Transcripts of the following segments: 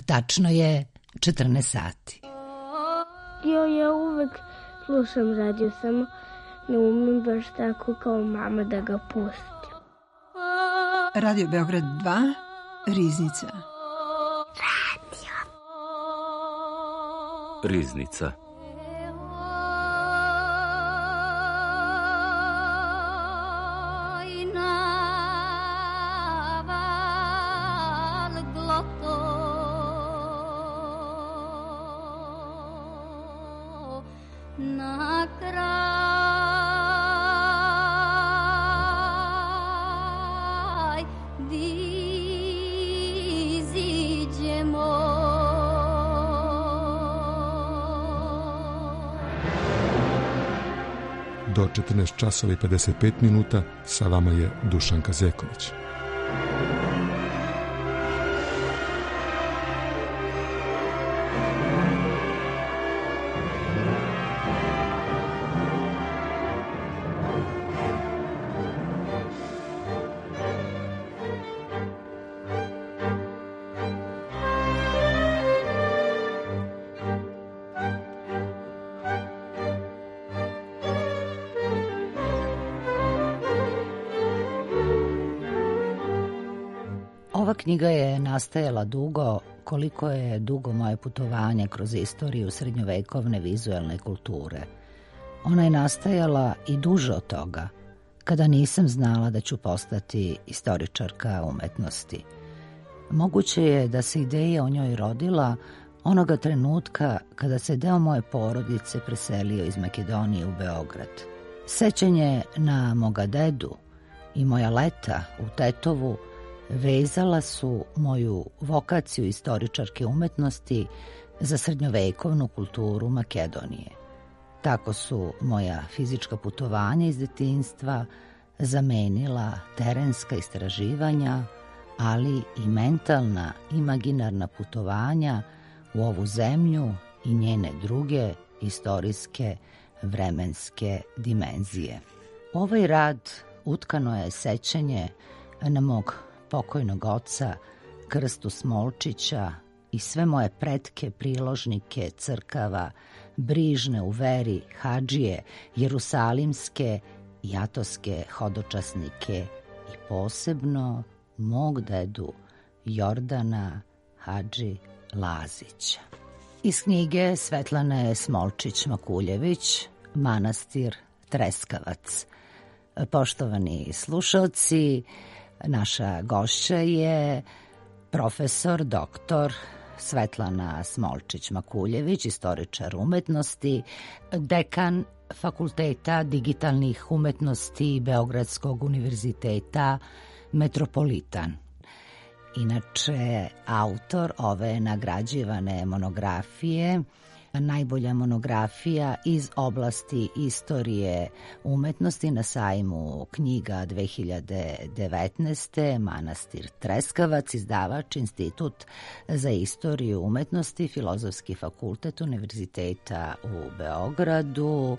Tačno je 14 sati. Ja uvek slušam radio, samo ne umem baš tako kao mama da ga pustim. Radio Beograd 2, Riznica. Riznica. Do 14 časova i 55 minuta sa vama je Dušanka Zeković. Ova knjiga je nastajala dugo, koliko je dugo moje putovanje kroz istoriju srednjovekovne vizuelne kulture. Ona je nastajala i duže od toga, kada nisam znala da ću postati istoričarka umetnosti. Moguće je da se ideja o njoj rodila onoga trenutka kada se deo moje porodice preselio iz Makedonije u Beograd. Sećanje na moga dedu i moja leta u Tetovu vezala su moju vokaciju istoričarke umetnosti za srednjovekovnu kulturu Makedonije. Tako su moja fizička putovanja iz detinjstva zamenila terenska istraživanja, ali i mentalna, imaginarna putovanja u ovu zemlju i njene druge istorijske vremenske dimenzije. U ovaj rad utkano je sećanje na mog pokojnog oca Krstu Smolčića i sve moje pretke, priložnike, crkava, brižne u veri, hadžije, jerusalimske i atoske hodočasnike i posebno mog dedu Jordana Hadži Lazića. Iz knjige Svetlane Smolčić-Makuljević, Manastir Treskavac. Poštovani slušalci, naša gošća je profesor doktor Svetlana Smolčić-Makuljević, istoričar umetnosti, dekan Fakulteta digitalnih umetnosti Beogradskog univerziteta Metropolitan. Inače, autor ove nagrađivane monografije, najbolja monografija iz oblasti istorije umetnosti na sajmu knjiga 2019. Manastir Treskavac, izdavač Institut za istoriju umetnosti, Filozofski fakultet Univerziteta u Beogradu.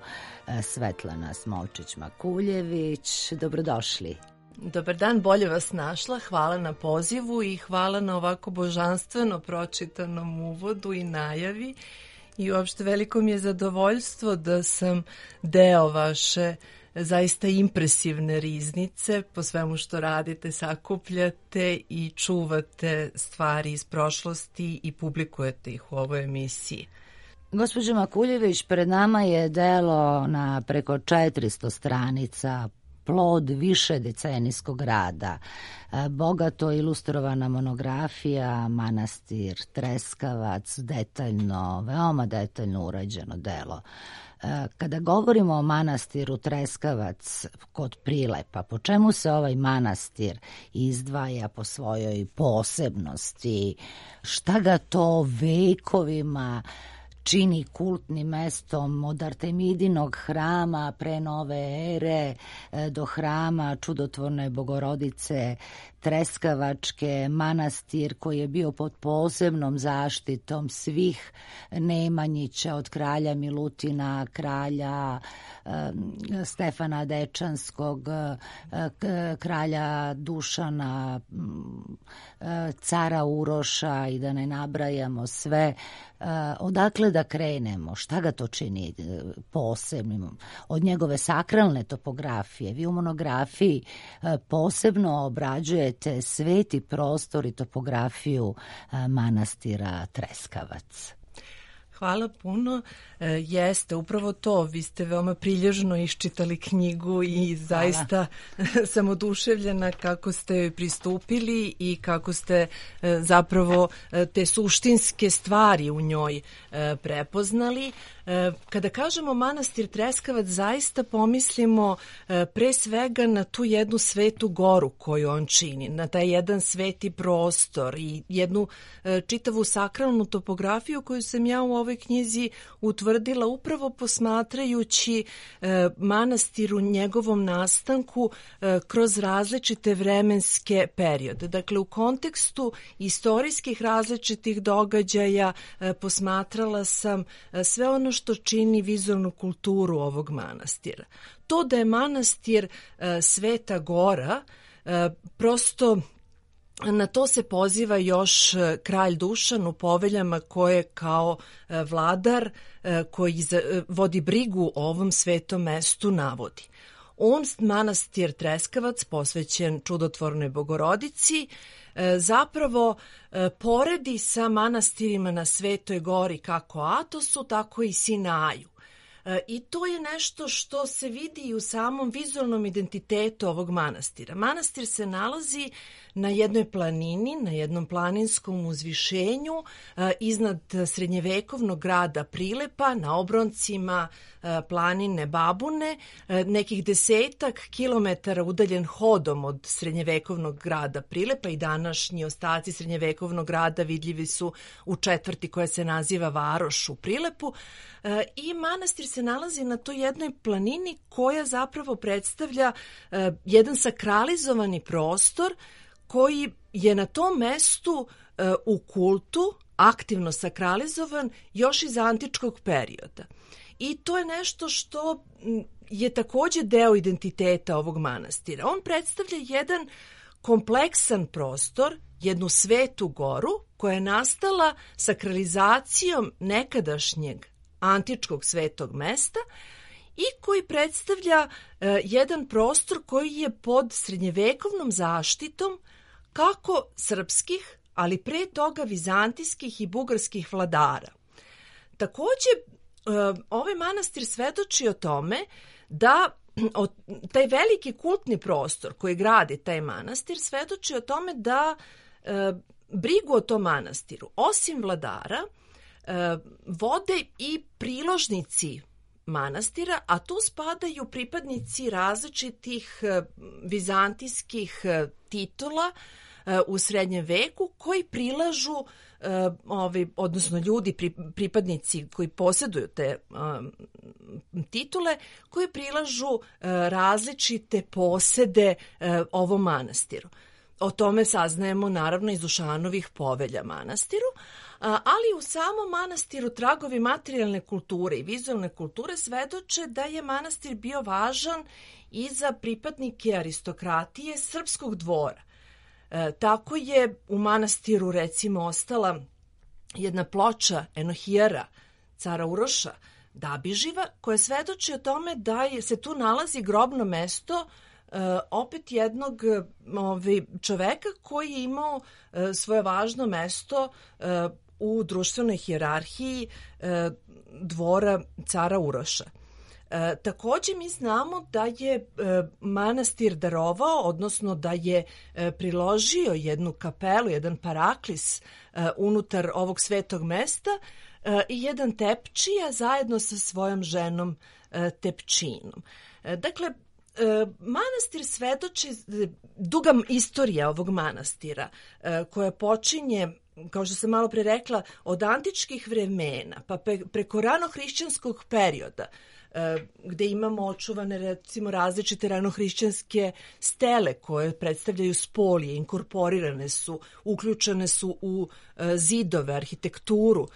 Svetlana Smolčić-Makuljević, dobrodošli. Dobar dan, bolje vas našla. Hvala na pozivu i hvala na ovako božanstveno pročitanom uvodu i najavi. I uopšte veliko mi je zadovoljstvo da sam deo vaše zaista impresivne riznice, po svemu što radite, sakupljate i čuvate stvari iz prošlosti i publikujete ih u ovoj emisiji. Gospođo Makuljević, pred nama je delo na preko 400 stranica, plod više decenijskog rada, bogato ilustrovana monografija Manastir Treskavac, detaljno, veoma detaljno urađeno delo. Kada govorimo o manastiru Treskavac kod Prilepa, po čemu se ovaj manastir izdvaja po svojoj posebnosti? Šta ga to vekovima čini kultnim mestom od Artemidinog hrama pre nove ere do hrama Čudotvorne Bogorodice Treskavačke, manastir koji je bio pod posebnom zaštitom svih Nemanjića, od kralja Milutina, kralja Stefana Dečanskog, kralja Dušana, cara Uroša i da ne nabrajamo sve. Odakle da krenemo? Šta ga to čini posebnim? Od njegove sakralne topografije. Vi u monografiji posebno obrađujete sveti prostor i topografiju manastira Treskavac. Hvala puno. Jeste, upravo to. Vi ste veoma prilježno iščitali knjigu i zaista sam oduševljena kako ste joj pristupili i kako ste zapravo te suštinske stvari u njoj prepoznali. Kada kažemo manastir Treskavac, zaista pomislimo pre svega na tu jednu svetu goru koju on čini, na taj jedan sveti prostor i jednu čitavu sakralnu topografiju koju sam ja u ovoj knjizi utvrdila upravo posmatrajući manastir u njegovom nastanku kroz različite vremenske periode. Dakle, u kontekstu istorijskih različitih događaja posmatrala sam sve ono što čini vizualnu kulturu ovog manastira. To da je manastir Sveta Gora, prosto na to se poziva još kralj Dušan u poveljama koje kao vladar koji vodi brigu o ovom svetom mestu navodi. On, manastir Treskavac, posvećen Čudotvornoj Bogorodici, zapravo poredi sa manastirima na Svetoj Gori kako Atosu, tako i Sinaju. I to je nešto što se vidi i u samom vizualnom identitetu ovog manastira. Manastir se nalazi na jednoj planini, na jednom planinskom uzvišenju iznad srednjevekovnog grada Prilepa, na obroncima planine Babune, nekih 10 kilometara udaljen hodom od srednjevekovnog grada Prilepa i današnji ostaci srednjevekovnog grada vidljivi su u četvrti koja se naziva Varoš u Prilepu. I manastir se nalazi na toj jednoj planini koja zapravo predstavlja jedan sakralizovani prostor koji je na tom mestu u kultu aktivno sakralizovan još iz antičkog perioda. I to je nešto što je takođe deo identiteta ovog manastira. On predstavlja jedan kompleksan prostor, jednu svetu goru koja je nastala sakralizacijom nekadašnjeg antičkog svetog mesta i koji predstavlja jedan prostor koji je pod srednjevekovnom zaštitom kako srpskih, ali pre toga vizantijskih i bugarskih vladara. Takođe, ovaj manastir svedoči o tome da taj veliki kultni prostor koji gradi taj manastir svedoči o tome da brigu o tom manastiru, osim vladara, vode i priložnici manastira, a tu spadaju pripadnici različitih vizantijskih titula u srednjem veku koji prilažu, odnosno ljudi, pripadnici koji posjeduju te titule, koji prilažu različite posede ovom manastiru. O tome saznajemo naravno iz Dušanovih povelja manastiru, ali u samom manastiru tragovi materijalne kulture i vizualne kulture svedoče da je manastir bio važan i za pripadnike aristokratije srpskog dvora. Tako je u manastiru recimo ostala jedna ploča Enohijara, cara Uroša Dabiživa, koja svedoči o tome da se tu nalazi grobno mesto opet jednog čoveka koji je imao svoje važno mesto u društvenoj hijerarhiji dvora cara Uroša. Takođe mi znamo da je manastir darovao, odnosno da je priložio jednu kapelu, jedan paraklis unutar ovog svetog mesta i jedan tepčija zajedno sa svojom ženom Tepčinom. Dakle, manastir svedoči duga istorija ovog manastira koja počinje kao što sam malo pre rekla, od antičkih vremena pa preko ranohrišćanskog perioda, gde imamo očuvane recimo različite ranohrišćanske stele koje predstavljaju spolije, inkorporirane su, uključene su u zidove, arhitekturu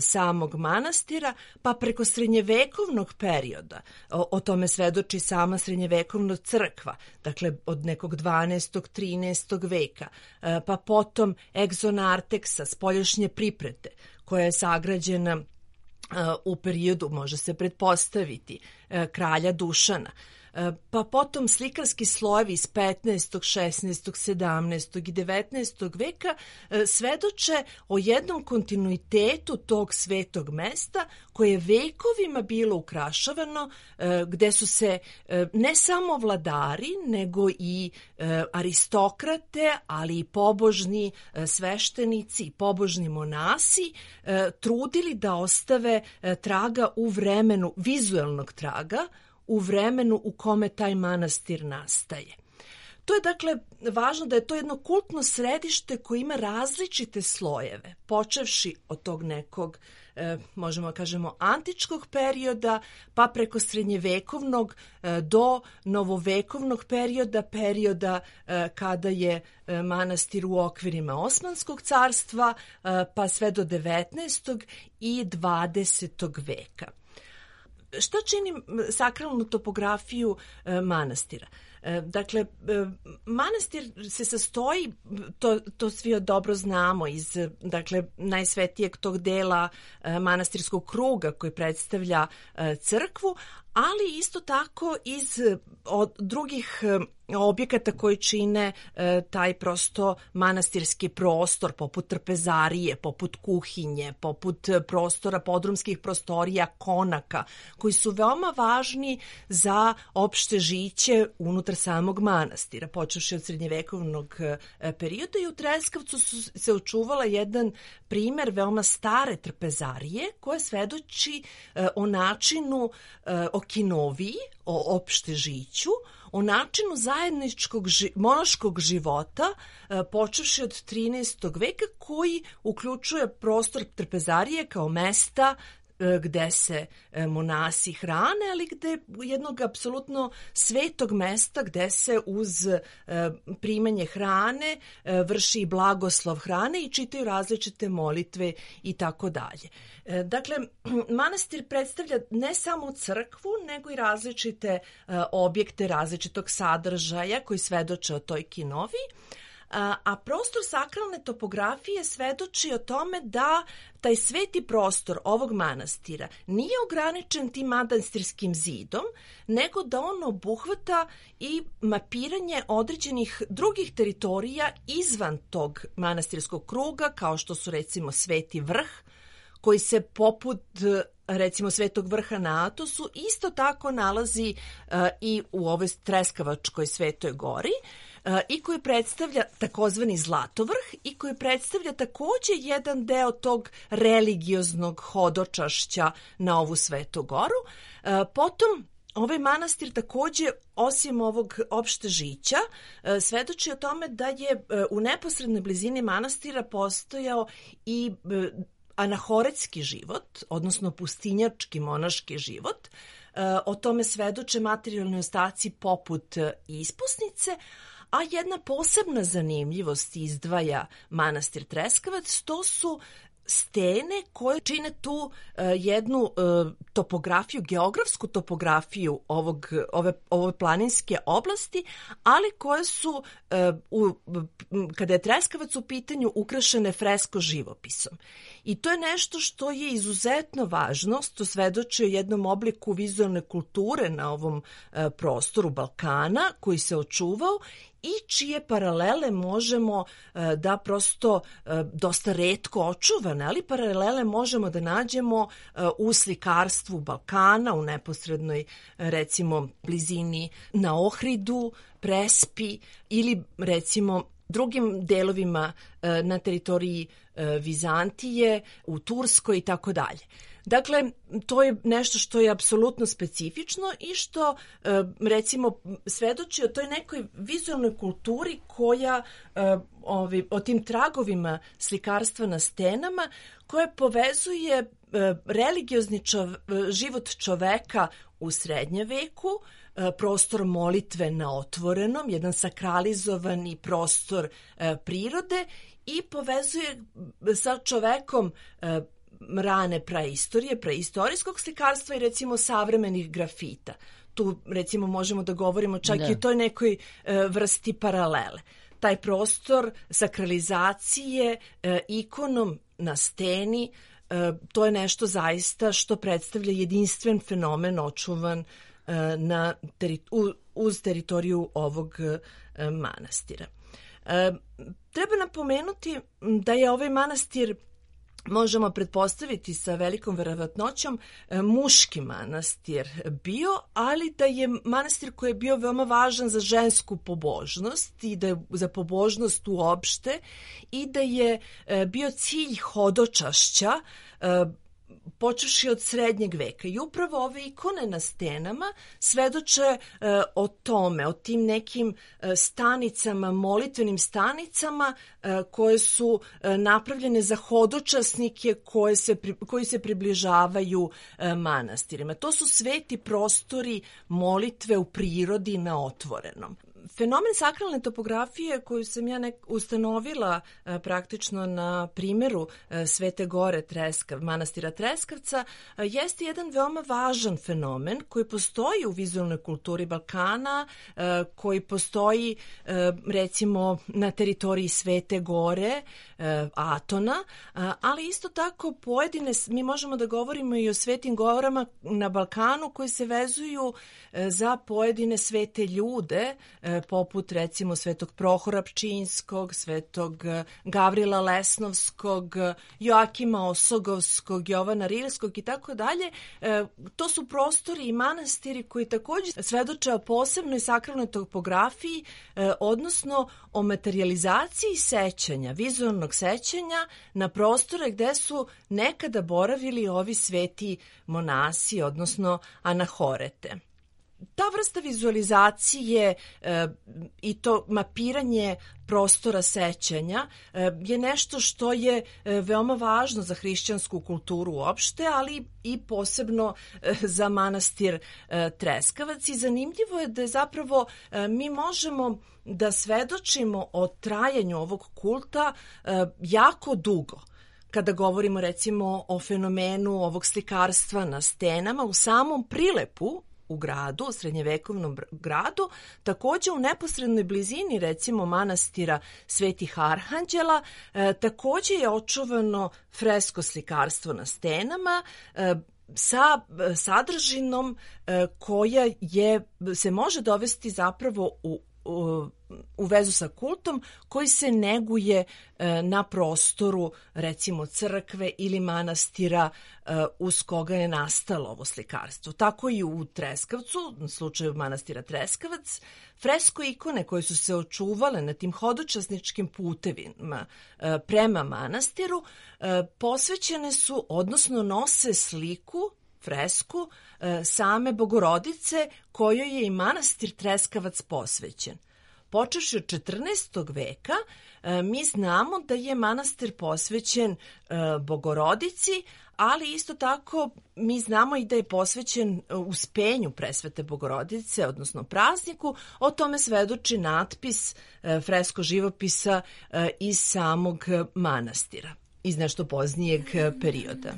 samog manastira, pa preko srednjevekovnog perioda, o tome svedoči sama srednjevekovna crkva, dakle od nekog 12. 13. veka, pa potom egzonarteksa, spoljašnje priprete, koja je sagrađena u periodu, može se pretpostaviti, kralja Dušana. Pa potom slikarski slojevi iz 15., 16., 17. i 19. veka svedoče o jednom kontinuitetu tog svetog mesta koje je vekovima bilo ukrašavano, gde su se ne samo vladari, nego i aristokrate, ali i pobožni sveštenici, pobožni monasi trudili da ostave traga u vremenu, vizuelnog traga, u vremenu u kome taj manastir nastaje. To je dakle važno da je to jedno kultno središte koje ima različite slojeve, počevši od tog nekog, možemo kažemo, antičkog perioda, pa preko srednjevekovnog do novovekovnog perioda kada je manastir u okvirima Osmanskog carstva, pa sve do 19. i 20. veka. Šta čini sakralnu topografiju manastira? Dakle, manastir se sastoji, to svi dobro znamo, iz najsvetijeg tog dela manastirskog kruga koji predstavlja crkvu, ali isto tako iz drugih objekata koji čine taj prosto manastirski prostor, poput trpezarije, poput kuhinje, poput prostora, podrumskih prostorija, konaka, koji su veoma važni za opšte žiće unutar samog manastira, počevši od srednjevekovnog perioda. I u Treskavcu se očuvala jedan primer veoma stare trpezarije koja svedoči o načinu, o kinoviji, o opšte žiću, o načinu zajedničkog monaškog života, počevši od 13. veka, koji uključuje prostor trpezarije kao mesta gde se monasi hrane, ali gde jednog apsolutno svetog mesta gde se uz primanje hrane vrši i blagoslov hrane i čitaju različite molitve i tako dalje. Dakle, manastir predstavlja ne samo crkvu, nego i različite objekte različitog sadržaja koji svedoče o toj kinoviji, a prostor sakralne topografije svedoči o tome da taj sveti prostor ovog manastira nije ograničen tim manastirskim zidom, nego da on obuhvata i mapiranje određenih drugih teritorija izvan tog manastirskog kruga, kao što su recimo Sveti vrh, koji se poput recimo Svetog vrha na Atosu isto tako nalazi i u ovoj Treskavačkoj Svetoj gori, i koji predstavlja takozvani Zlatovrh i koji predstavlja takođe jedan deo tog religioznog hodočašća na ovu Svetu goru. Potom ovaj manastir takođe, osim ovog opšte žića, svedoči o tome da je u neposrednoj blizini manastira postojao i anahoretski život, odnosno pustinjački monaški život. O tome svedoče materijalni ostaci poput ispusnice, a jedna posebna zanimljivost izdvaja manastir Treskavac, to su stene koje čine tu jednu topografiju, geografsku topografiju ove planinske oblasti, ali koje su, kada je Treskavac u pitanju, ukrašene fresko živopisom. I to je nešto što je izuzetno važno, što svedoči o jednom obliku vizualne kulture na ovom prostoru Balkana koji se očuvao i čije paralele možemo da prosto dosta retko očuvane, ali paralele možemo da nađemo u slikarstvu Balkana, u neposrednoj recimo blizini na Ohridu, Prespi ili recimo drugim delovima na teritoriji Vizantije, u Turskoj i tako dalje. Dakle, to je nešto što je apsolutno specifično i što, recimo, svedoči o toj nekoj vizualnoj kulturi koja, o tim tragovima slikarstva na stenama, koja povezuje religiozni život čoveka u srednjem veku, prostor molitve na otvorenom, jedan sakralizovani prostor prirode i povezuje sa čovekom rane praistorije, preistorijskog slikarstva i recimo savremenih grafita. Tu recimo možemo da govorimo čak i o toj nekoj vrsti paralele. Taj prostor sakralizacije ikonom na steni, to je nešto zaista što predstavlja jedinstven fenomen očuvan uz teritoriju ovog manastira. Treba napomenuti da je ovaj manastir, možemo pretpostaviti sa velikom verovatnoćom, muški manastir bio, ali da je manastir koji je bio veoma važan za žensku pobožnost i da je za pobožnost uopšte i da je bio cilj hodočašća počevši od srednjeg veka. I upravo ove ikone na stenama svedoče o tome, o tim nekim stanicama, molitvenim stanicama koje su napravljene za hodočasnike koji se približavaju manastirima. To su sveti prostori molitve u prirodi na otvorenom. Fenomen sakralne topografije koju sam ja ustanovila praktično na primjeru Svete Gore manastira Treskavca jeste jedan veoma važan fenomen koji postoji u vizualnoj kulturi Balkana, koji postoji recimo na teritoriji Svete Gore, Atona, ali isto tako mi možemo da govorimo i o svetim gorama na Balkanu koji se vezuju za pojedine svete ljude, poput recimo Svetog Prohora Pčinjskog, Svetog Gavrila Lesnovskog, Joakima Osogovskog, Jovana Rilskog i tako dalje. To su prostori i manastiri koji također svedoče o posebnoj sakralnoj topografiji, odnosno o materializaciji sećanja, vizualnog sećanja na prostore gde su nekada boravili ovi sveti monasi, odnosno anahorete. Ta vrsta vizualizacije i to mapiranje prostora sećanja je nešto što je veoma važno za hrišćansku kulturu uopšte, ali i posebno za manastir Treskavac. I zanimljivo je da zapravo mi možemo da svedočimo o trajanju ovog kulta jako dugo. Kada govorimo recimo o fenomenu ovog slikarstva na stenama u samom Prilepu, u gradu, u srednjevekovnom gradu, također u neposrednoj blizini recimo manastira Svetih Arhanđela, također je očuvano fresko slikarstvo na stenama sa sadržinom koja se može dovesti zapravo u vezu sa kultom koji se neguje na prostoru recimo crkve ili manastira uz koga je nastalo ovo slikarstvo. Tako i u Treskavcu, na slučaju manastira Treskavac, fresko ikone koje su se očuvale na tim hodočasničkim putevima prema manastiru posvećene su, odnosno nose sliku, fresku same Bogorodice kojoj je i manastir Treskavac posvećen. Počevši od 14. veka mi znamo da je manastir posvećen Bogorodici, ali isto tako mi znamo i da je posvećen uspenju Presvete Bogorodice, odnosno prazniku. O tome svedoči natpis fresko živopisa iz samog manastira, iz nešto poznijeg perioda.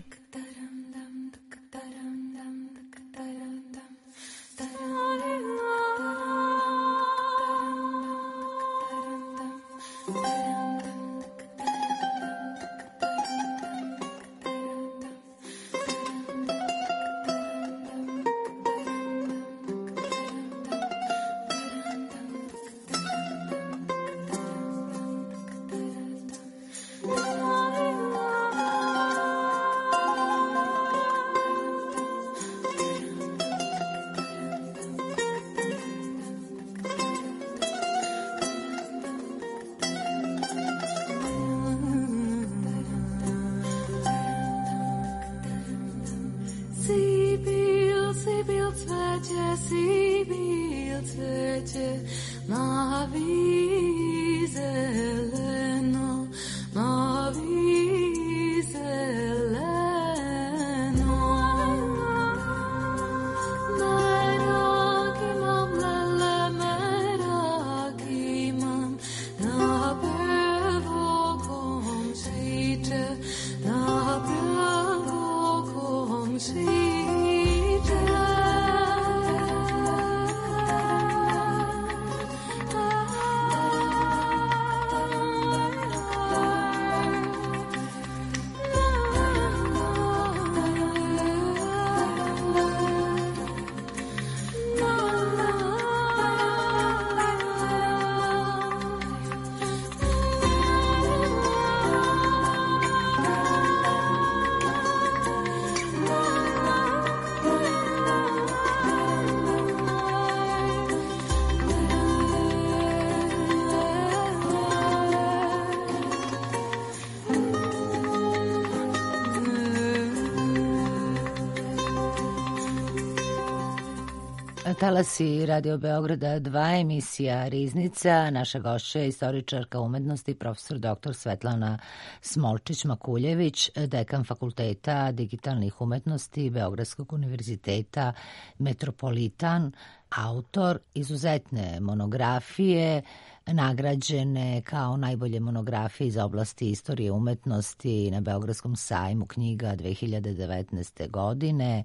Talasi Radio Beograda 2, emisija Riznica. Naša gošća je istoričarka umetnosti, profesor dr. Svetlana Smolčić-Makuljević, dekan Fakulteta digitalnih umetnosti Beogradskog univerziteta Metropolitan, autor izuzetne monografije, nagrađene kao najbolje monografije iz oblasti istorije umetnosti na Beogradskom sajmu knjiga 2019. godine,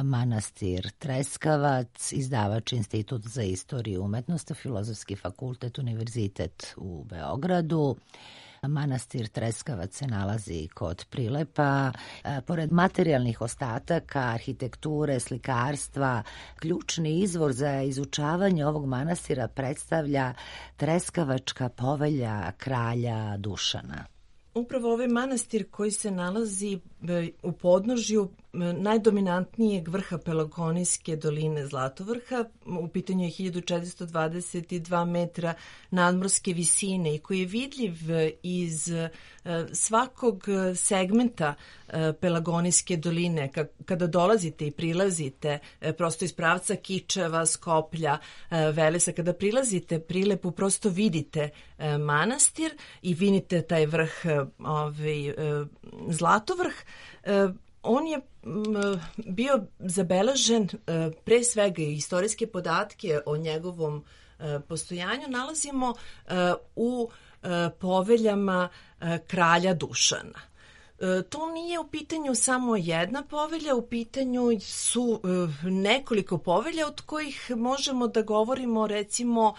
Manastir Treskavac, izdavač Institut za istoriju umetnosti, Filozofski fakultet, Univerzitet u Beogradu. Manastir Treskavac se nalazi kod Prilepa. Pored materijalnih ostataka, arhitekture, slikarstva, ključni izvor za izučavanje ovog manastira predstavlja Treskavačka povelja kralja Dušana. Upravo ovaj manastir koji se nalazi u podnožju najdominantnijeg vrha Pelagonijske doline Zlatovrha, u pitanju je 1422 metra nadmorske visine i koji je vidljiv iz svakog segmenta Pelagonijske doline. Kada dolazite i prilazite prosto iz pravca Kičeva, Skoplja, Velesa, kada prilazite Prilepu, prosto vidite manastir i vidite taj vrh, Zlatovrh. On je bio zabeležen, pre svega istorijske podatke o njegovom postojanju nalazimo u poveljama kralja Dušana. To nije u pitanju samo jedna povelja, u pitanju su nekoliko povelja od kojih možemo da govorimo recimo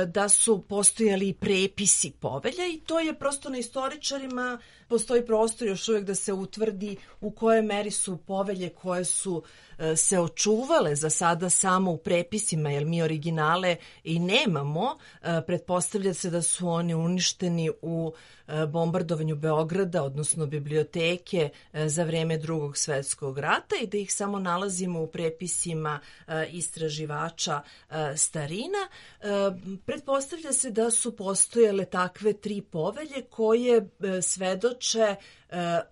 da su postojali prepisi povelja i to je prosto na istoričarima, postoji prostor još uvijek da se utvrdi u kojoj meri su povelje koje su se očuvale za sada samo u prepisima, jer mi originale i nemamo. Pretpostavlja se da su oni uništeni u bombardovanju Beograda, odnosno biblioteke za vreme Drugog svjetskog rata i da ih samo nalazimo u prepisima istraživača starina. Pretpostavlja se da su postojale takve tri povelje koje svedoče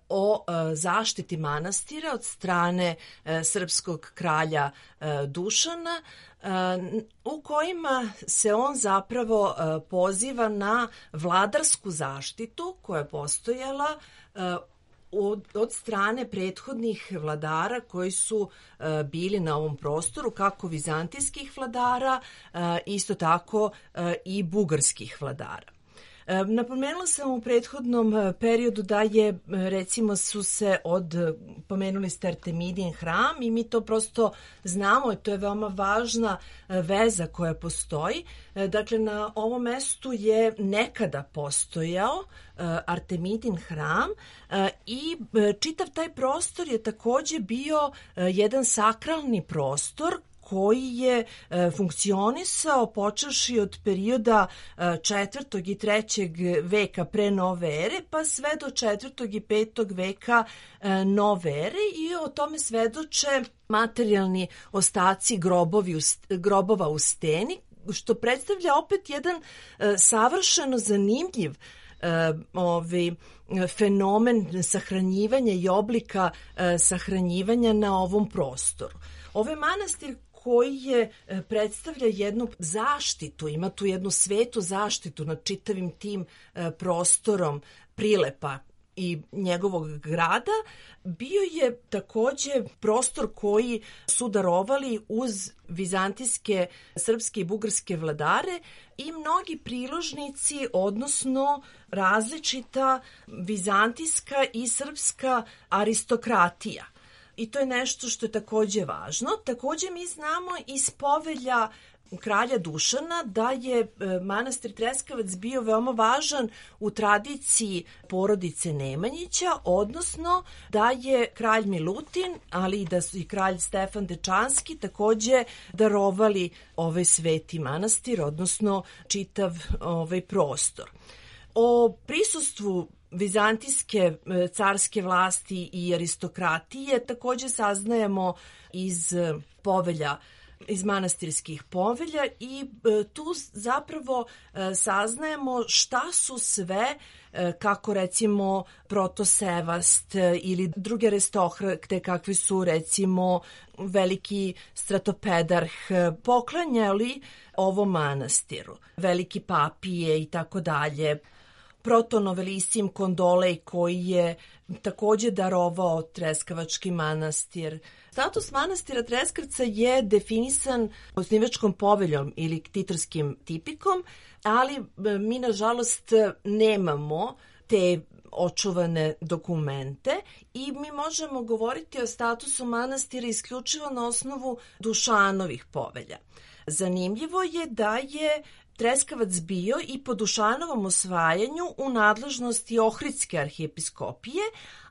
o zaštiti manastira od strane srpskog kralja Dušana, u kojima se on zapravo poziva na vladarsku zaštitu koja je postojala od strane prethodnih vladara koji su bili na ovom prostoru, kako vizantijskih vladara, isto tako i bugarskih vladara. Napomenula sam u prethodnom periodu da je, recimo, su se pomenuli ste Artemidin hram i mi to prosto znamo i to je veoma važna veza koja postoji. Dakle, na ovom mestu je nekada postojao Artemidin hram i čitav taj prostor je takođe bio jedan sakralni prostor koji je funkcionisao počevši od perioda 4. i 3. veka pre nove ere pa sve do 4. i 5. veka nove ere i o tome svedoče materijalni ostaci grobova u steni, što predstavlja opet jedan savršeno zanimljiv fenomen sahranjivanja i oblika sahranjivanja na ovom prostoru. Ovaj manastir koji predstavlja jednu zaštitu, ima tu jednu svetu zaštitu nad čitavim tim prostorom Prilepa i njegovog grada, bio je takođe prostor koji su darovali uz vizantijske, srpske i bugarske vladare i mnogi priložnici, odnosno različita vizantijska i srpska aristokratija. I to je nešto što je takođe važno. Takođe mi znamo iz povelja kralja Dušana da je manastir Treskavac bio veoma važan u tradiciji porodice Nemanjića, odnosno da je kralj Milutin, ali i da su i kralj Stefan Dečanski takođe darovali ovaj sveti manastir, odnosno čitav ovaj prostor. O prisustvu vizantijske carske vlasti i aristokratije takođe saznajemo iz povelja, iz manastirskih povelja i tu zapravo saznajemo šta su sve, kako recimo Protosevast ili druge aristokrate, kakvi su recimo veliki stratopedarh, poklanjali ovom manastiru, veliki papije i tako dalje. Protonovelisim Kondolej koji je takođe darovao Treskavački manastir. Status manastira Treskavca je definisan osnivačkom poveljom ili ktitorskim tipikom, ali mi nažalost nemamo te očuvane dokumente i mi možemo govoriti o statusu manastira isključivo na osnovu Dušanovih povelja. Zanimljivo je da je Treskavac bio i po Dušanovom osvajanju u nadležnosti Ohridske arhijepiskopije,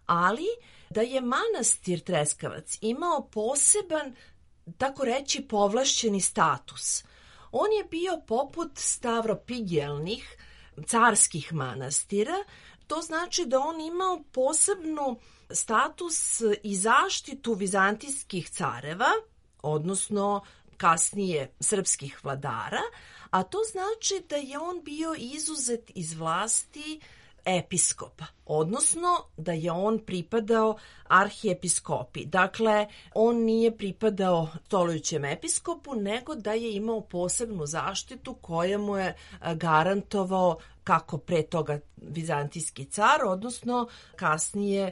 ali da je manastir Treskavac imao poseban, tako reći, povlašćeni status. On je bio poput stavropigelnih carskih manastira, to znači da on imao posebnu status i zaštitu vizantijskih careva, odnosno kasnije srpskih vladara, a to znači da je on bio izuzet iz vlasti episkopa, odnosno da je on pripadao arhijepiskopi. Dakle, on nije pripadao stolujućem episkopu, nego da je imao posebnu zaštitu koja mu je garantovao kako pre toga vizantijski car, odnosno kasnije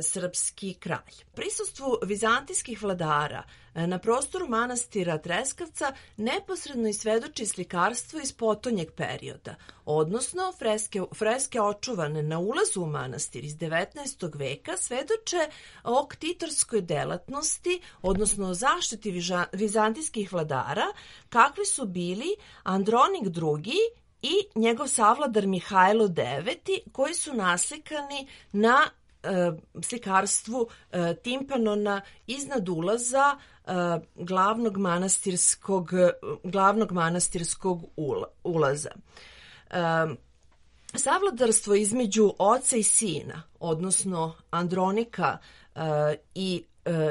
srpski kralj. Prisustvu vizantijskih vladara na prostoru manastira Treskavca neposredno isvedoči slikarstvo iz potonjeg perioda, odnosno freske očuvane na ulazu u manastir iz 19. veka svedoče o ktitorskoj delatnosti, odnosno o zaštiti vizantijskih vladara, kakvi su bili Andronik II i njegov savladar Mihajlo IX, koji su naslikani na slikarstvu timpanona iznad ulaza glavnog manastirskog ulaza. Savladarstvo između oca i sina, odnosno Andronika i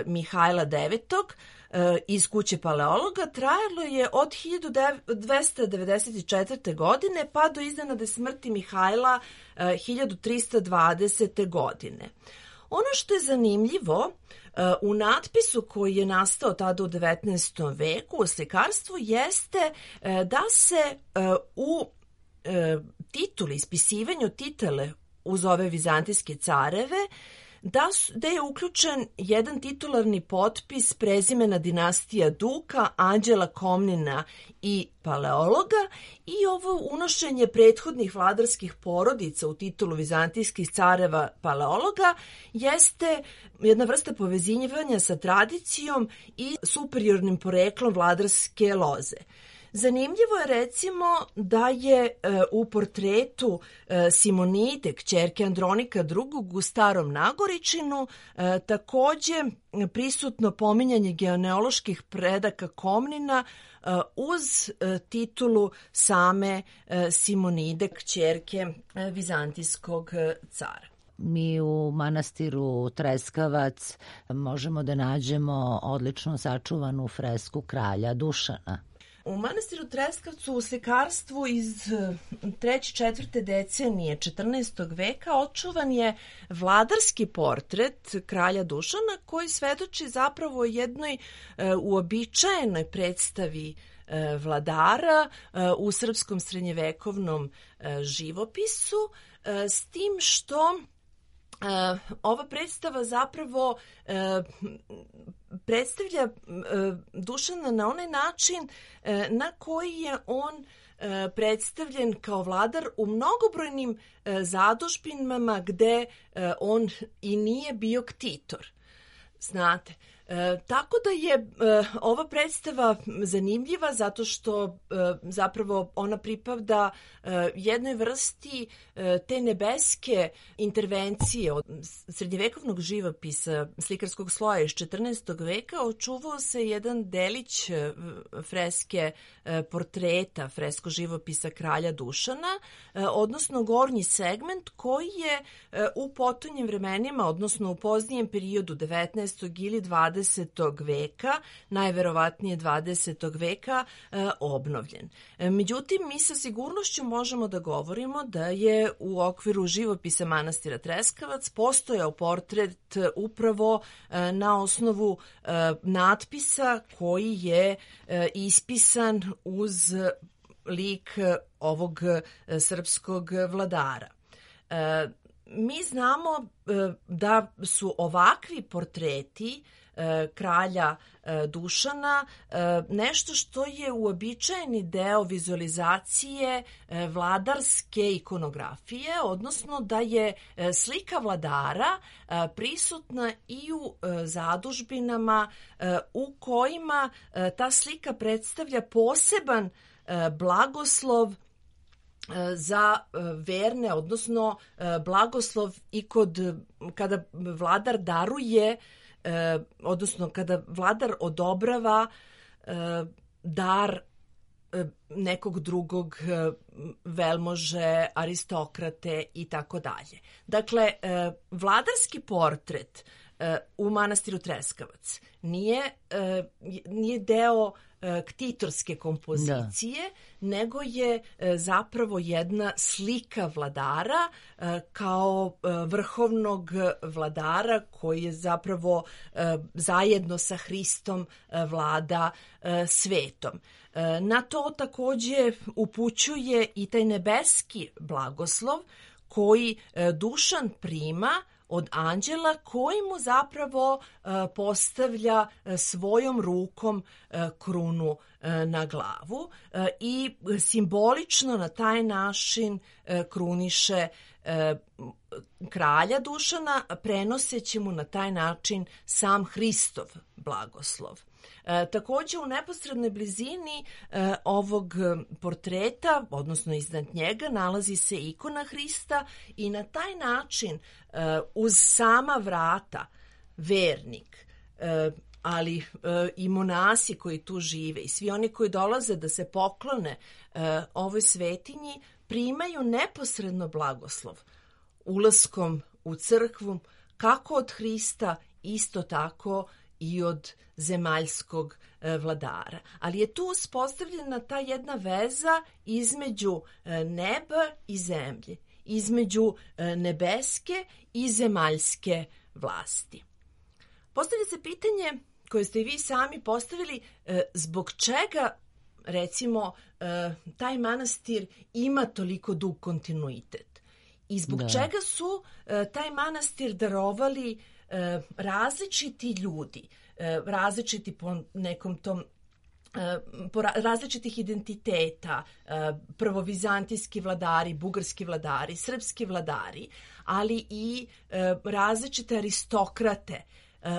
Mihajla IX iz kuće paleologa trajalo je od 1294. godine pa do iznenadne smrti Mihajla 1320. godine. Ono što je zanimljivo u natpisu koji je nastao tada u 19. veku u slikarstvu jeste da se u tituli, ispisivanju titule uz ove vizantijske careve, da je uključen jedan titularni potpis prezimena dinastija Duka, Anđela Komnina i Paleologa i ovo unošenje prethodnih vladarskih porodica u titulu vizantijskih careva Paleologa jeste jedna vrsta povezivanja sa tradicijom i superiornim poreklom vladarske loze. Zanimljivo je recimo da je u portretu Simonide, kćerke Andronika II u Starom Nagoričinu takođe prisutno pominjanje genealoških predaka Komnina uz titulu same Simonide, kćerke vizantijskog cara. Mi u manastiru Treskavac možemo da nađemo odlično sačuvanu fresku kralja Dušana. U manastiru Treskavcu u slikarstvu iz 3. 4. decenije 14. veka očuvan je vladarski portret kralja Dušana koji svedoči zapravo o jednoj uobičajenoj predstavi vladara u srpskom srednjevekovnom živopisu, s tim što ova predstava zapravo predstavlja Dušana na onaj način na koji je on predstavljen kao vladar u mnogobrojnim zadužbinama gde on i nije bio ktitor. Znate, tako da je ova predstava zanimljiva zato što zapravo ona pripada jednoj vrsti te nebeske intervencije od srednjevekovnog živopisa slikarskog sloja iz 14. veka. Očuvao se jedan delić freske portreta, fresko živopisa kralja Dušana, odnosno gornji segment koji je u potonjim vremenima, odnosno u poznijem periodu 19. ili 20. veka, najverovatnije 20. veka, obnovljen. Međutim, mi sa sigurnošću možemo da govorimo da je u okviru živopisa manastira Treskavac postojao portret upravo na osnovu natpisa koji je ispisan uz lik ovog srpskog vladara. Mi znamo da su ovakvi portreti kralja Dušana nešto što je uobičajeni deo vizualizacije vladarske ikonografije, odnosno da je slika vladara prisutna i u zadužbinama u kojima ta slika predstavlja poseban blagoslov za verne, odnosno blagoslov i kada vladar daruje, odnosno kada vladar odobrava dar nekog drugog velmože, aristokrate i tako dalje. Dakle, vladarski portret u manastiru Treskavac nije deo ktitorske kompozicije, nego je zapravo jedna slika vladara kao vrhovnog vladara koji je zapravo zajedno sa Hristom vlada svetom. Na to takođe upućuje i taj nebeski blagoslov koji Dušan prima od anđela koji mu zapravo postavlja svojom rukom krunu na glavu i simbolično na taj način kruniše kralja Dušana, prenoseći mu na taj način sam Hristov blagoslov. Takođe u neposrednoj blizini ovog portreta, odnosno iznad njega, nalazi se ikona Hrista i na taj način uz sama vrata vernik, ali i monasi koji tu žive i svi oni koji dolaze da se poklone ovoj svetinji primaju neposredno blagoslov ulaskom u crkvu kako od Hrista, isto tako i od zemaljskog vladara. Ali je tu uspostavljena ta jedna veza između neba i zemlje, između nebeske i zemaljske vlasti. Postavlja se pitanje koje ste i vi sami postavili, zbog čega recimo taj manastir ima toliko dug kontinuitet i zbog čega su taj manastir darovali različiti ljudi, različiti po nekom tom različitih identiteta, prvovizantijski vladari, bugarski vladari, srpski vladari, ali i različite aristokrate,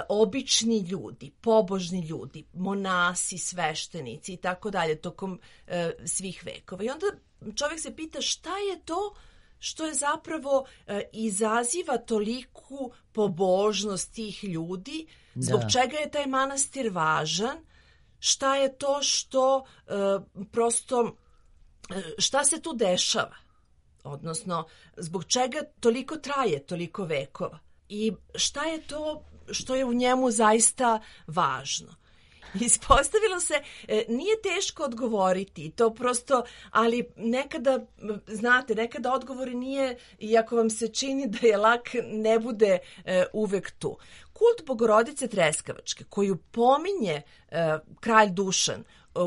obični ljudi, pobožni ljudi, monasi, sveštenici i tako dalje tokom svih vekova. I onda čovjek se pita šta je to što je zapravo izaziva toliku pobožnost tih ljudi, zbog čega je taj manastir važan, šta je to što prosto, šta se tu dešava, odnosno zbog čega toliko traje toliko vekova i šta je to što je u njemu zaista važno. Ispostavilo se, nije teško odgovoriti, to prosto, ali nekada, znate, nekada odgovori nije, iako vam se čini da je lak, ne bude uvek tu. Kult Bogorodice Treskavačke, koju pominje kralj Dušan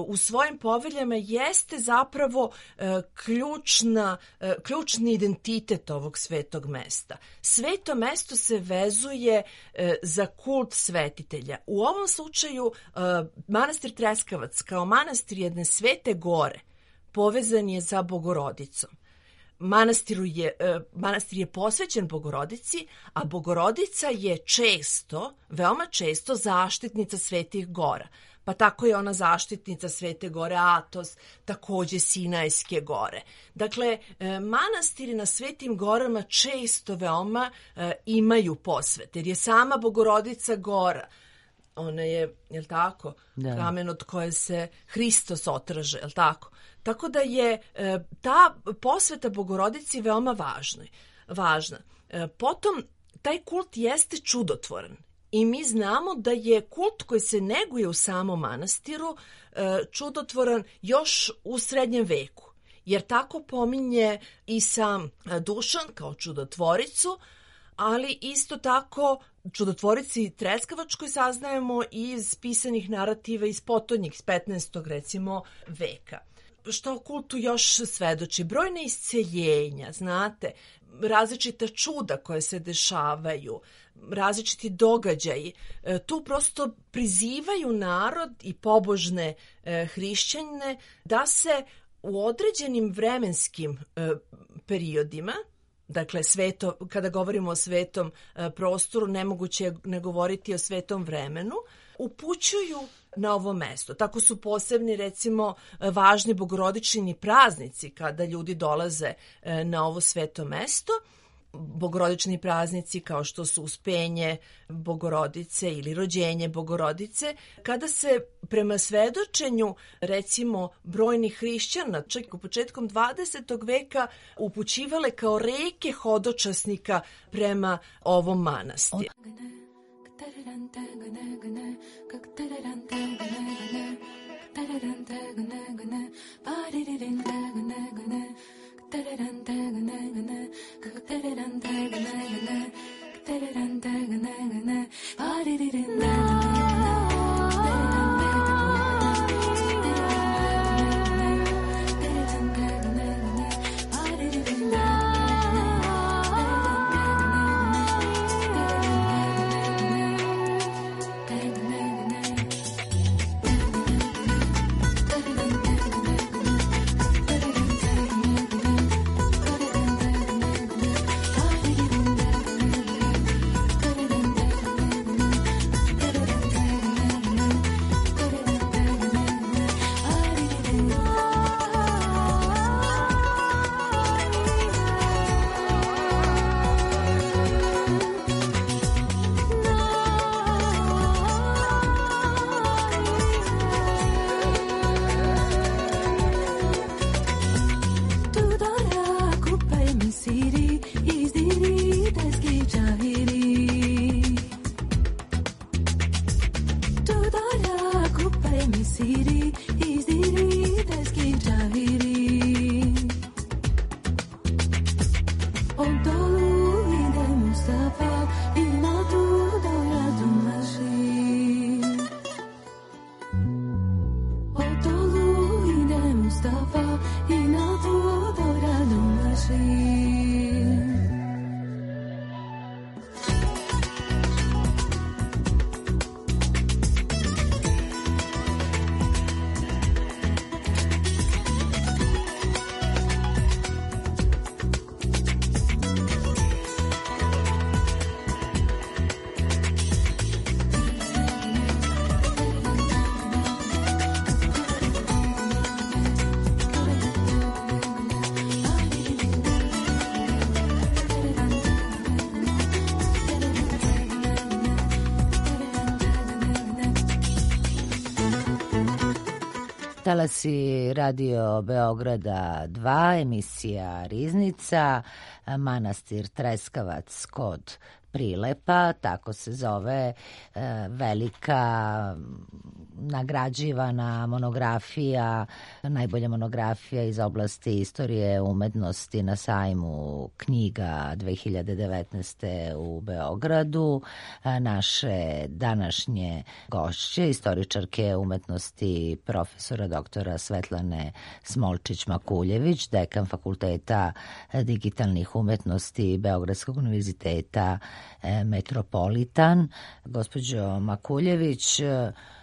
u svojim poveljama, jeste zapravo ključni identitet ovog svetog mesta. Sveto mesto se vezuje za kult svetitelja. U ovom slučaju manastir Treskavac kao manastir jedne svete gore povezan je za Bogorodicom. Manastir je posvećen Bogorodici, a Bogorodica je često, veoma često, zaštitnica svetih gora. Pa tako je ona zaštitnica Svete gore Atos, takođe Sinajske gore. Dakle, manastiri na Svetim gorama često veoma imaju posvete, jer je sama Bogorodica gora. Ona je, jel tako, kamen od koje se Hristos otraže, jel tako? Tako da je ta posveta Bogorodici veoma važna. Potom, taj kult jeste čudotvoran. I mi znamo da je kult koji se neguje u samom manastiru čudotvoran još u srednjem veku, jer tako pominje i sam Dušan kao čudotvoricu, ali isto tako čudotvorici Treskavačkoj saznajemo iz pisanih narativa iz potonjih, iz 15. recimo veka. Što o kultu još svedoči? Brojne isceljenja, znate, različita čuda koje se dešavaju, različiti događaji. Tu prosto prizivaju narod i pobožne hrišćane da se u određenim vremenskim periodima, dakle, kada govorimo o svetom prostoru, nemoguće je ne govoriti o svetom vremenu, upućuju na ovo mesto. Tako su posebni, recimo, važni bogorodični praznici kada ljudi dolaze na ovo sveto mesto. Bogorodični praznici kao što su Uspenje Bogorodice ili Rođenje Bogorodice, kada se prema svedočenju, recimo, brojnih hrišćana, čak u početkom 20. veka, upućivale kao reke hodočasnika prema ovom manastiru. Talasi Radio Beograda 2, emisija Riznica, manastir Treskavac kod Prilepa, tako se zove velika nagrađivana monografija, najbolja monografija iz oblasti istorije umetnosti na sajmu knjiga 2019. u Beogradu. Naše današnje gošće, istoričarke umetnosti profesora doktora Svetlane Smolčić-Makuljević, dekan Fakulteta digitalnih umetnosti Beogradskog univerziteta Metropolitan. Gospođo Makuljević,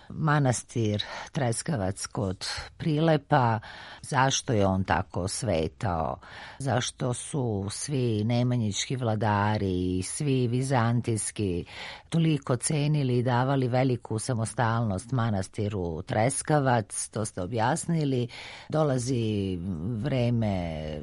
manastir Treskavac kod Prilepa, zašto je on tako svetao? Zašto su svi nemanjički vladari i svi vizantijski toliko cenili i davali veliku samostalnost manastiru Treskavac? To ste objasnili. Dolazi vreme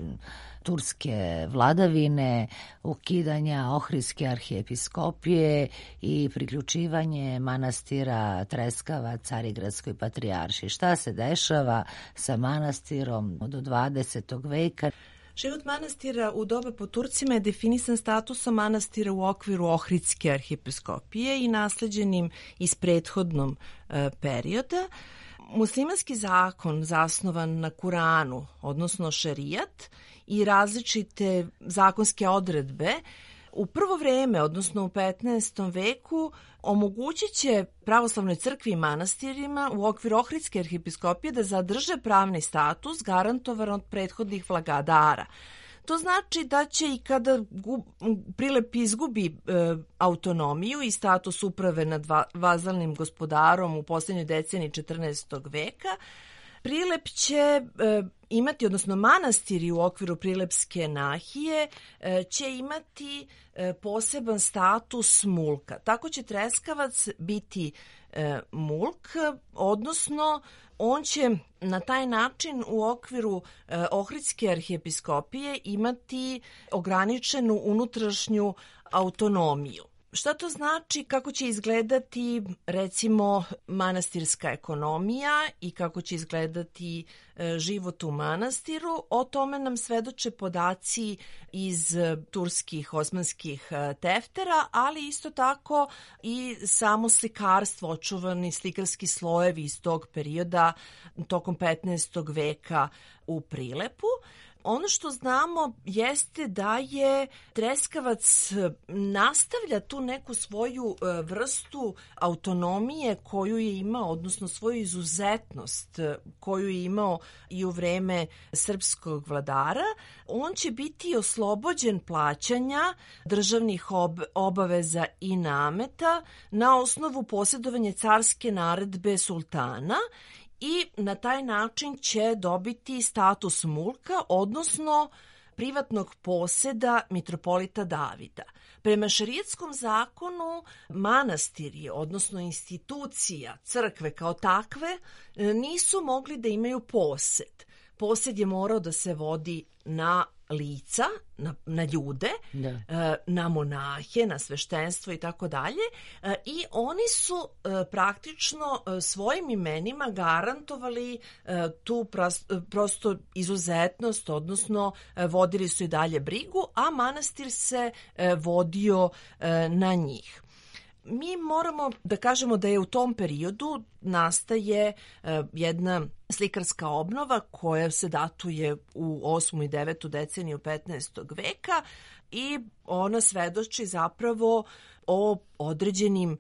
turske vladavine, ukidanja Ohridske arhijepiskopije i priključivanje manastira Treskava Carigradskoj patrijaršiji. Šta se dešava sa manastirom do 20. veka? Život manastira u doba po Turcima je definisan statusom manastira u okviru Ohridske arhijepiskopije i nasleđenim iz prethodnom perioda. Muslimanski zakon zasnovan na Kuranu, odnosno šerijat, i različite zakonske odredbe u prvo vreme, odnosno u 15. veku, omogućit će pravoslavnoj crkvi i manastirima u okviru Ohridske arhijepiskopije da zadrže pravni status garantovan od prethodnih vladara. To znači da će i kada Prilep izgubi autonomiju i status uprave nad vazalnim gospodarom u posljednjoj deceniji 14. veka, Prilep će imati, odnosno manastiri u okviru Prilepske nahije će imati poseban status mulka. Tako će Treskavac biti mulk, odnosno on će na taj način u okviru Ohridske arhijepiskopije imati ograničenu unutrašnju autonomiju. Šta to znači, kako će izgledati recimo manastirska ekonomija i kako će izgledati život u manastiru? O tome nam svedoče podaci iz turskih osmanskih teftera, ali isto tako i samo slikarstvo, očuvani slikarski slojevi iz tog perioda tokom 15. veka u Prilepu. Ono što znamo jeste da je Treskavac nastavlja tu neku svoju vrstu autonomije koju je imao, odnosno svoju izuzetnost koju je imao i u vreme srpskog vladara. On će biti oslobođen plaćanja državnih obaveza i nameta na osnovu posjedovanja carske naredbe sultana i na taj način će dobiti status mulka, odnosno privatnog poseda mitropolita Davida. Prema šerijetskom zakonu manastiri, odnosno institucija crkve kao takve, nisu mogli da imaju posed. Posed je morao da se vodi na lica, na ljude, na monahe, na sveštenstvo i tako dalje, i oni su praktično svojim imenima garantovali tu prosto izuzetnost, odnosno vodili su i dalje brigu, a manastir se vodio na njih. Mi moramo da kažemo da je u tom periodu nastaje jedna slikarska obnova koja se datuje u 8. i 9. deceniju 15. veka i ona svedoči zapravo o određenim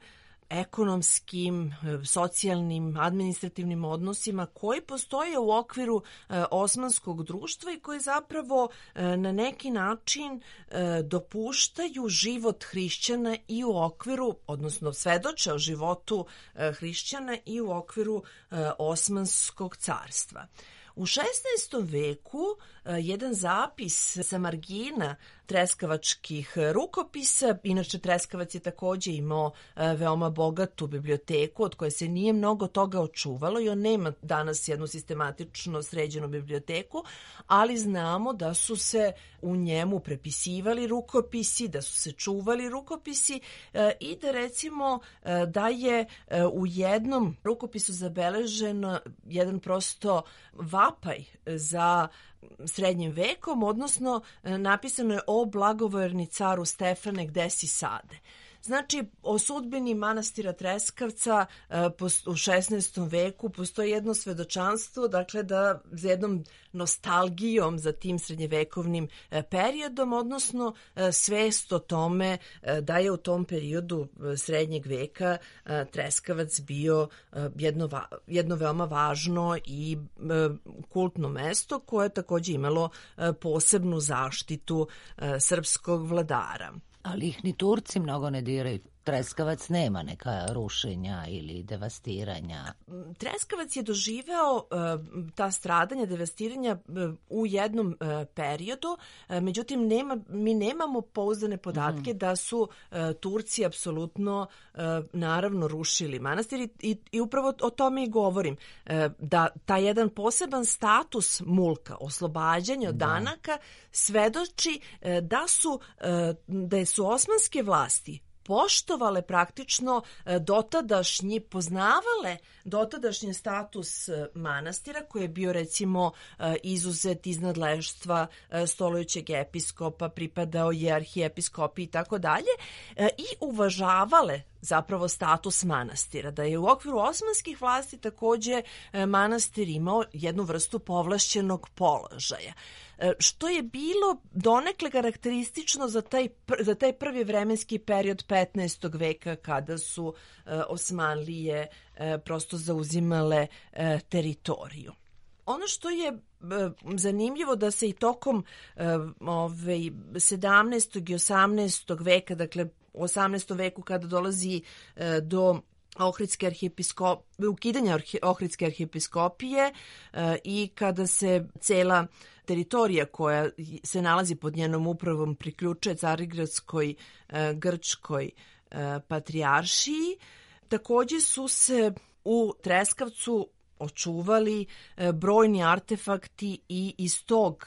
ekonomskim, socijalnim, administrativnim odnosima koji postoje u okviru osmanskog društva i koji zapravo na neki način dopuštaju život hrišćana i u okviru, odnosno svedoče o životu hrišćana i u okviru Osmanskog carstva. U 16. veku jedan zapis sa margina treskavačkih rukopisa, inače Treskavac je takođe imao veoma bogatu biblioteku od koje se nije mnogo toga očuvalo i on nema danas jednu sistematično sređenu biblioteku, ali znamo da su se u njemu prepisivali rukopisi, da su se čuvali rukopisi i da recimo da je u jednom rukopisu zabeležen jedan prosto vapaj za srednjim vekom, odnosno napisano je o blagoverni caru Stefane, gde si sade. Znači, o sudbini manastira Treskavca u 16. veku postoji jedno svedočanstvo, dakle da za jednom nostalgijom za tim srednjevekovnim periodom, odnosno svest o tome da je u tom periodu srednjeg veka Treskavac bio jedno veoma važno i kultno mesto koje je takođe imalo posebnu zaštitu srpskog vladara. Ali ih ni Turci mnogo ne diraju. Treskavac nema neka rušenja ili devastiranja. Treskavac je doživeo ta stradanja, devastiranja u jednom periodu, međutim mi nemamo pouzdane podatke da su Turci apsolutno naravno rušili manastir i upravo o tome i govorim, da taj jedan poseban status mulka, oslobađanja od danaka, svedoči da su osmanske vlasti poštovale praktično poznavale dotadašnji status manastira koji je bio recimo izuzet iz nadleštva stolujućeg episkopa, pripadao je arhijepiskopiji i tako dalje, i uvažavale zapravo status manastira, da je u okviru osmanskih vlasti takođe manastir imao jednu vrstu povlašćenog položaja, što je bilo donekle karakteristično za taj prvi vremenski period 15. veka kada su Osmanlije prosto zauzimale teritoriju. Ono što je zanimljivo da se i tokom 17. i 18. veka, dakle u 18. veku kada dolazi do ukidanja Ohridske arhijepiskopije i kada se cela teritorija koja se nalazi pod njenom upravom priključuje Carigradskoj grčkoj patrijaršiji, takođe su se u Treskavcu očuvali brojni artefakti i iz tog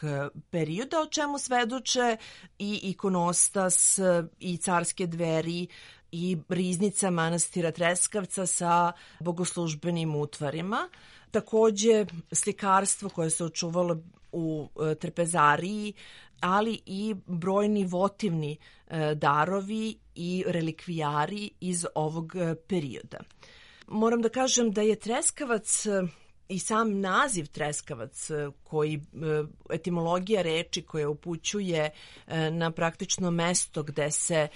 perioda, o čemu svedoče i ikonostas i carske dveri i riznica manastira Treskavca sa bogoslužbenim utvarima. Takođe slikarstvo koje se očuvalo u trpezariji, ali i brojni votivni darovi i relikvijari iz ovog perioda. Moram da kažem da je Treskavac i sam naziv Treskavac, koji etimologija reči koja upućuje na praktično mesto gde se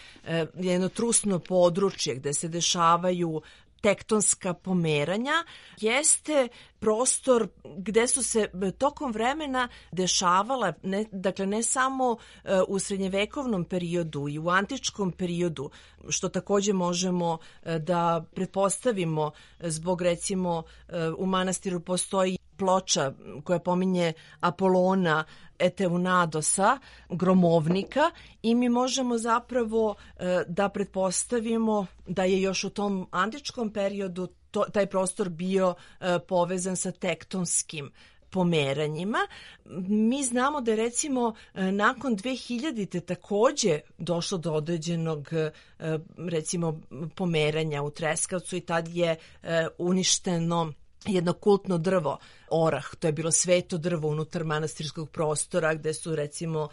jedno trusno područje, gde se dešavaju tektonska pomeranja, jeste prostor gde su se tokom vremena dešavala, dakle ne samo u srednjevekovnom periodu i u antičkom periodu, što takođe možemo da pretpostavimo zbog recimo u manastiru postoji ploča koja pominje Apolona Eteunadosa, gromovnika, i mi možemo zapravo da pretpostavimo da je još u tom antičkom periodu taj prostor bio povezan sa tektonskim pomeranjima. Mi znamo da je recimo nakon 2000-te takođe došlo do određenog recimo pomeranja u Treskavcu i tad je uništeno jedno kultno drvo, orah, to je bilo sveto drvo unutar manastirskog prostora gde su recimo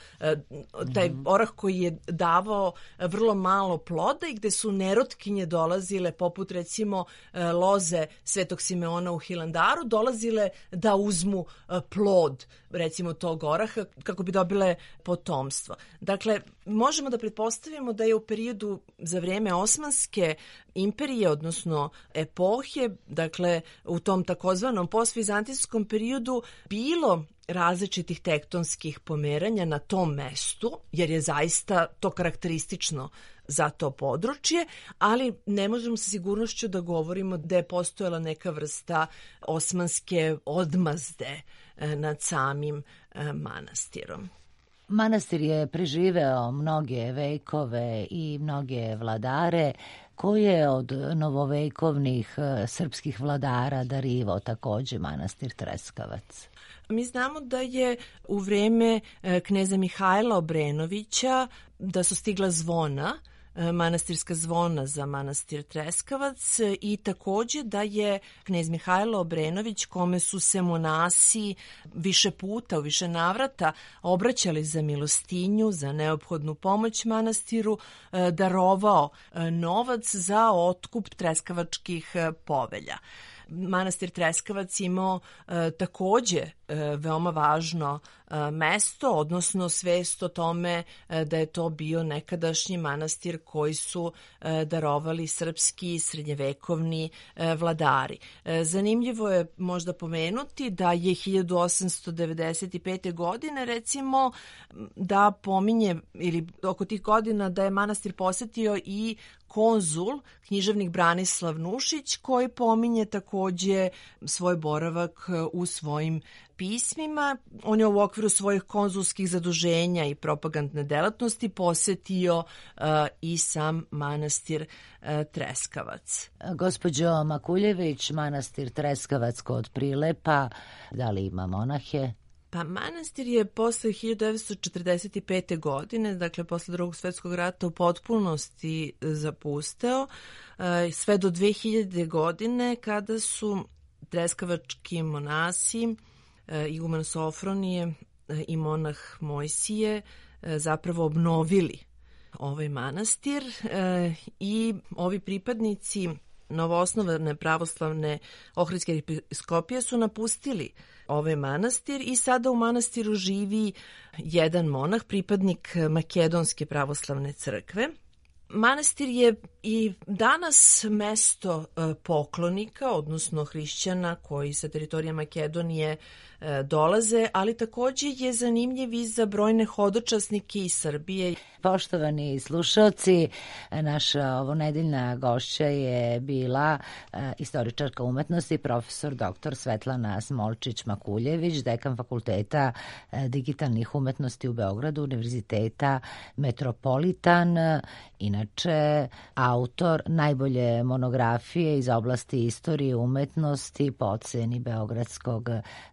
taj orah koji je davao vrlo malo ploda i gde su nerotkinje dolazile poput recimo loze Svetog Simeona u Hilandaru, dolazile da uzmu plod recimo tog oraha kako bi dobile potomstvo. Dakle, možemo da pretpostavimo da je u periodu za vreme Osmanske imperije, odnosno epohe, dakle u tom takozvanom postvizantijskom periodu bilo različitih tektonskih pomeranja na tom mestu, jer je zaista to karakteristično za to područje, ali ne možemo sa sigurnošću da govorimo da je postojala neka vrsta osmanske odmazde nad samim manastirom. Manastir je preživeo mnoge vekove i mnoge vladare koje od novovekovnih srpskih vladara darivao takođe manastir Treskavac. Mi znamo da je u vreme kneza Mihajla Obrenovića da su stigla zvona manastirska zvona za manastir Treskavac i takođe da je knez Mihajlo Obrenović, kome su se monasi više puta, u više navrata obraćali za milostinju, za neophodnu pomoć manastiru, darovao novac za otkup treskavačkih povelja. Manastir Treskavac imao takođe veoma važno mesto, odnosno svest o tome da je to bio nekadašnji manastir koji su darovali srpski srednjevekovni vladari. Zanimljivo je možda pomenuti da je 1895. godine recimo da pominje, ili oko tih godina, da je manastir posetio i konzul, književnik Branislav Nušić, koji pominje takođe svoj boravak u svojim pismima. On je u okviru svojih konzulskih zaduženja i propagandne delatnosti posetio i sam manastir Treskavac. Gospođo Makuljević, manastir Treskavac kod Prilepa, da li ima monahe? Pa manastir je posle 1945. godine, dakle posle Drugog svjetskog rata, u potpunosti zapusteo, sve do 2000. godine kada su treskavački monasi, iguman Sofronije i monah Mojsije zapravo obnovili ovaj manastir i ovi pripadnici novoosnovane pravoslavne Ohridske episkopije su napustili ovaj manastir i sada u manastiru živi jedan monah, pripadnik Makedonske pravoslavne crkve. Manastir je i danas mesto poklonika, odnosno hrišćana koji sa teritorije Makedonije dolaze, ali takođe je zanimljiv i za brojne hodočasnike iz Srbije. Poštovani slušalci, naša ovonedeljna gošća je bila istoričarka umetnosti, profesor dr. Svetlana Smolčić-Makuljević, dekan Fakulteta digitalnih umetnosti u Beogradu, Univerziteta Metropolitan, inače autor najbolje monografije iz oblasti istorije umetnosti po oceni Beogradskog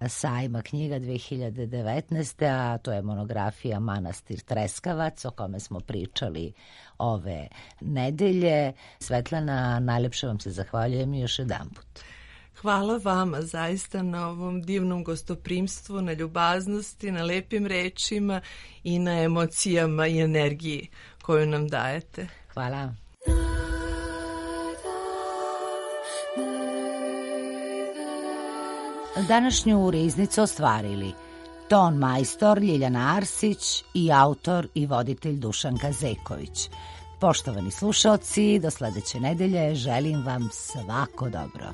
sajma knjiga 2019. a to je monografija Manastir Treskavac, o kome smo pričali ove nedelje. Svetlana, najlepše vam se zahvaljujem još jedanput. Hvala vama zaista na ovom divnom gostoprimstvu, na ljubaznosti, na lepim rečima i na emocijama i energiji koju nam dajete. Hvala. Današnju riznicu ostvarili ton majstor Ljiljana Arsić i autor i voditelj Dušanka Zeković. Poštovani slušaoci, do sledeće nedelje želim vam svako dobro.